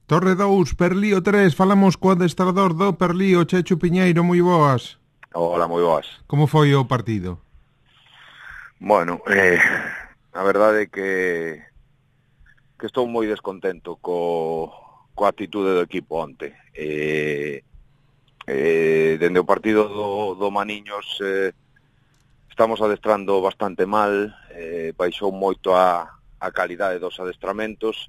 Torre 2, Perlío 3, falamos co adestrador do Perlío, Chechu Piñeiro, moi boas. Hola, moi boas. Como foi o partido? Bueno, a verdade é que estou moi descontento coa actitude do equipo onte. Dende o partido do Maniños estamos adestrando bastante mal, baixou moito a calidade dos adestramentos,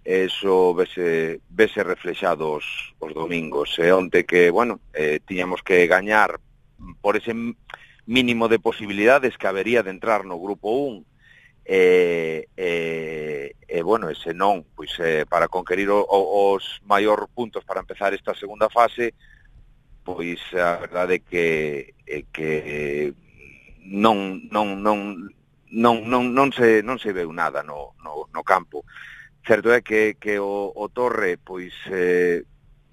e iso vese reflexado os domingos. Onte que, bueno, tiñamos que gañar por ese mínimo de posibilidades que habería de entrar no grupo 1, bueno, ese non, pois para conquerir os maior puntos para empezar esta segunda fase, pois a verdade é que non se veu nada no campo. Certo é que o Torre pois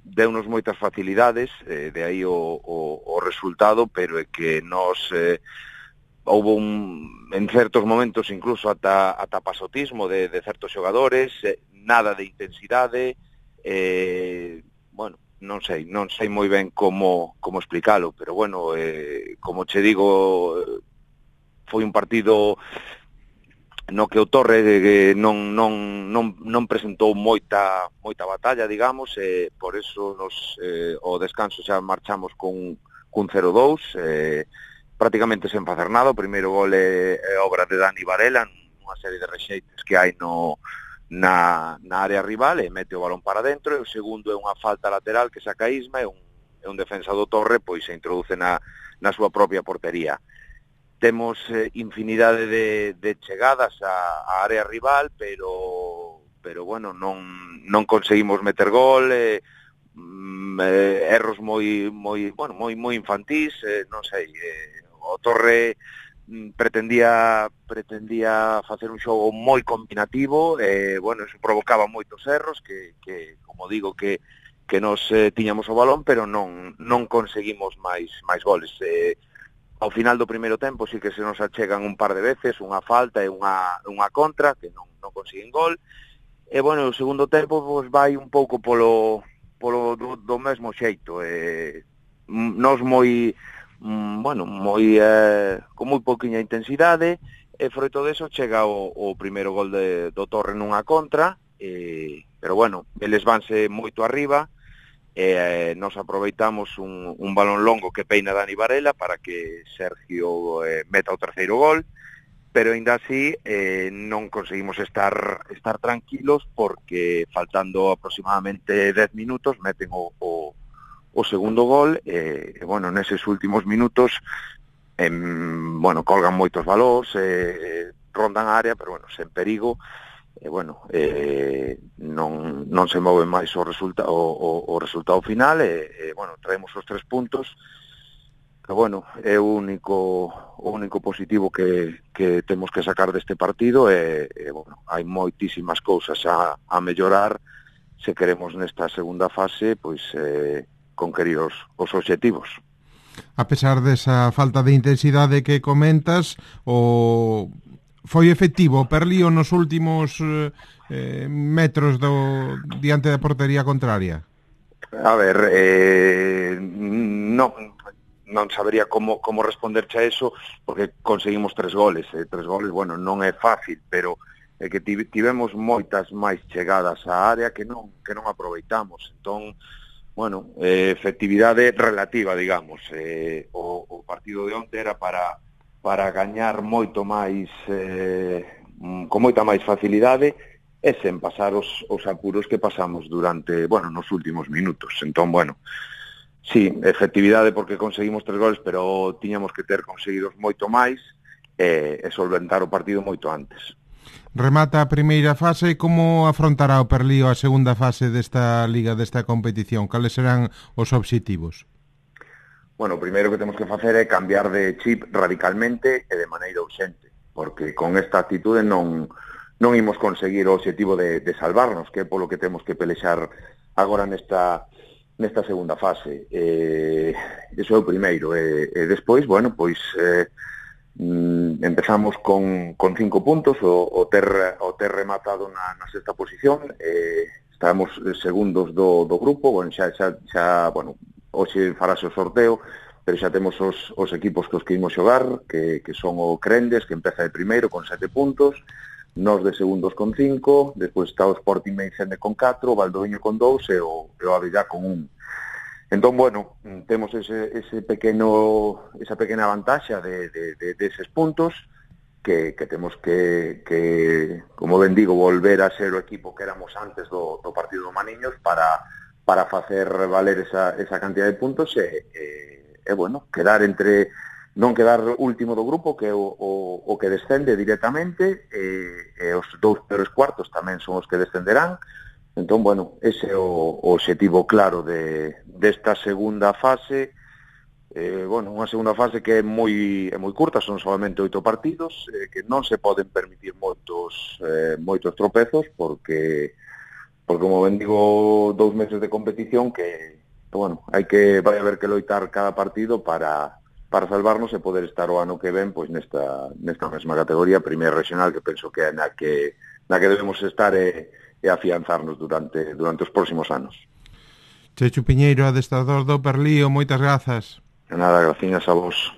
deunos moitas facilidades, de aí o resultado, pero é que nos houve en certos momentos incluso ata pasotismo de certos xogadores, nada de intensidade, bueno, non sei moi ben como explicalo, pero bueno, como che digo, foi un partido no que o Torre non presentou moita batalla, digamos, por eso o descanso xa marchamos con 0-2, prácticamente sen facer nada. O primeiro gol é obra de Dani Varela, nunha serie de rexeites que hai na área rival, e mete o balón para dentro, e o segundo é unha falta lateral que saca Isma, e un defensa do Torre pois se introduce na súa propia portería. Temos infinidade de chegadas á área rival, pero bueno, non conseguimos meter gol, erros moi infantís, non sei, o Torre pretendía facer un xogo moi combinativo, bueno, eso provocaba moitos erros que como digo, que nos tiñamos o balón, pero non conseguimos máis goles. Ao final do primeiro tempo sí que se nos achegan un par de veces, unha falta e unha contra, que non consiguen gol. E, bueno, o segundo tempo pues, vai un pouco polo do mesmo xeito. Nos con moi pouquiña intensidade, e froito deso chega o primeiro gol do Torre nunha contra, pero, bueno, eles vanse moito arriba, nos aproveitamos un balón longo que peina Dani Varela para que Sergio meta o terceiro gol, pero ainda así non conseguimos estar tranquilos, porque faltando aproximadamente 10 minutos meten o segundo gol, bueno, neses últimos minutos colgan moitos balóns, rondan a área, pero bueno, sen perigo. Non se move máis o resultado final, bueno, traemos os 3 puntos, que bueno, é o único positivo que temos que sacar deste partido, bueno, hai moitísimas cousas a mellorar se queremos nesta segunda fase pois conquerir os obxectivos. A pesar desa falta de intensidade que comentas, foi efectivo o Perlío nos últimos metros diante da portería contraria? A ver, non sabería como responderche a eso, porque conseguimos 3 goles. 3 goles, bueno, non é fácil, pero é que tivemos moitas máis chegadas á área que non aproveitamos. Entón, bueno, efectividade relativa, digamos. O partido de onte era para gañar moito máis, con moita máis facilidade, e sen pasar os apuros que pasamos durante, bueno, nos últimos minutos. Entón, bueno, sí, efectividade porque conseguimos 3 goles, pero tiñamos que ter conseguidos moito máis e solventar o partido moito antes. Remata a primeira fase, como afrontará o Perlío a segunda fase desta liga, desta competición? Cales serán os obxectivos? Bueno, o primeiro que temos que facer é cambiar de chip radicalmente e de maneira urxente, porque con esta actitude non imos conseguir o obxectivo de salvarnos, que é polo que temos que pelexar agora nesta segunda fase. Iso é o primeiro. E despois, bueno, pois empezamos con 5 puntos, o ter rematado na sexta posición, estamos segundos do grupo, bueno, bueno, hoxe farase o sorteo, pero xa temos os equipos que os que imos xogar, que son o Crendes, que empeza de primeiro con 7 puntos, nós de segundos con 5, despois está o Sporting Meicende con 4, o Valdoviño con 2 e o Avellá con 1. Entón, bueno, temos esa pequena vantaxa deses puntos que temos que, como ben digo, volver a ser o equipo que éramos antes do partido do Maniños para facer valer esa cantidad de puntos e bueno, non quedar último do grupo, que é o que descende directamente, e os 2 peores cuartos tamén son os que descenderán. Entón, bueno, ese é o obxectivo claro desta segunda fase. Bueno, unha segunda fase que é moi curta, son solamente 8 partidos, que non se poden permitir moitos tropezos, porque como ben digo, 2 meses de competición que bueno, vai haber que loitar cada partido para salvarnos e poder estar o ano que ven pois nesta mesma categoría, primeira regional, que penso que é na que debemos estar e afianzarnos durante os próximos anos. Chechu Piñeiro, adestrador do Perlío, moitas grazas. Nada, graciñas a vos.